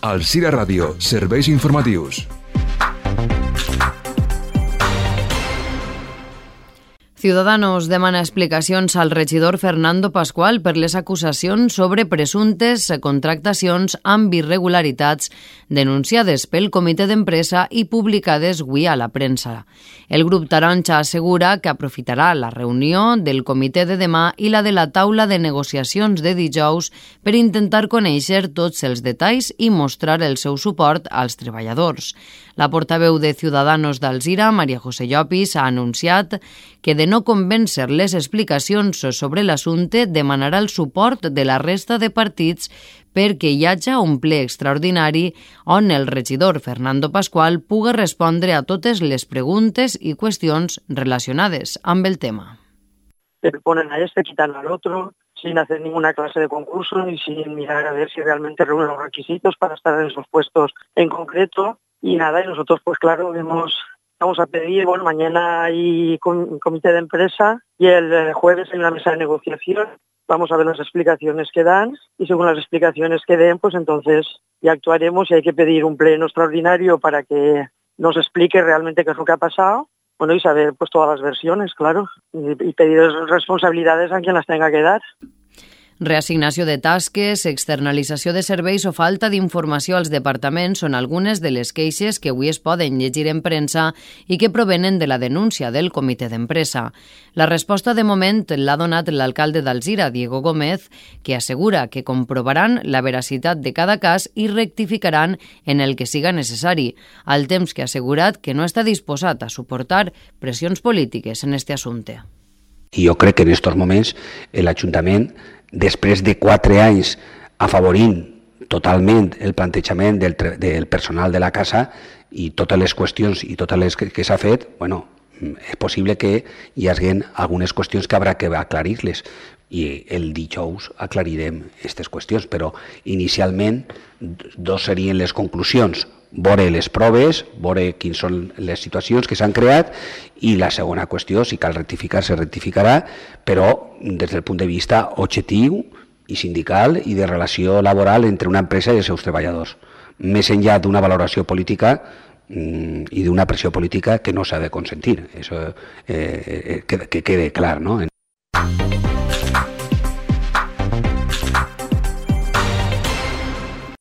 Alzira Ràdio, serveis informatius. Ciudadanos demana explicacions al regidor Fernando Pascual per les acusacions sobre presumptes contractacions amb irregularitats denunciades pel comitè d'empresa i publicades avui a la premsa. El grup taronja assegura que aprofitarà la reunió del comitè de demà i la de la taula de negociacions de dijous per intentar conèixer tots els detalls i mostrar el seu suport als treballadors. La portaveu de Ciudadanos d'Alzira, María José Llopis, ha anunciat que de no convèncer les explicacions sobre l'assumpte demanarà el suport de la resta de partits perquè hi hagi un ple extraordinari on el regidor Fernando Pascual pugui respondre a totes les preguntes i qüestions relacionades amb el tema. Ponen a este, quitan al otro, sin hacer ninguna clase de concurso ni sin mirar a ver si realmente reúnen los requisitos para estar en esos puestos en concreto. Y nada, y nosotros pues claro, vamos a pedir, mañana hay comité de empresa y el jueves hay una mesa de negociación. Vamos a ver las explicaciones que dan y según las explicaciones que den, pues entonces ya actuaremos y hay que pedir un pleno extraordinario para que nos explique realmente qué es lo que ha pasado. Y saber pues todas las versiones, claro, y pedir responsabilidades a quien las tenga que dar. Reassignació de tasques, externalització de serveis o falta d'informació als departaments són algunes de les queixes que avui es poden llegir en premsa i que provenen de la denúncia del comitè d'empresa. La resposta de moment l'ha donat l'alcalde d'Alzira, Diego Gómez, que assegura que comprovaran la veracitat de cada cas i rectificaran en el que siga necessari, al temps que ha assegurat que no està disposat a suportar pressions polítiques en este assumpte. I jo crec que en aquests moments l'Ajuntament, després de 4 anys afavorint totalment el plantejament del personal de la casa i totes les qüestions i totes les que s'ha fet, és possible que hi hagi algunes qüestions que haurà que aclarir-les i el dijous aclarirem aquestes qüestions, però inicialment 2 serien les conclusions: veure les proves, veure quines són les situacions que s'han creat i la segona qüestió, si cal rectificar, se rectificarà, però des del punt de vista objectiu i sindical i de relació laboral entre una empresa i els seus treballadors. Més enllà d'una valoració política i d'una pressió política que no s'ha de consentir. Això que quede clar, no?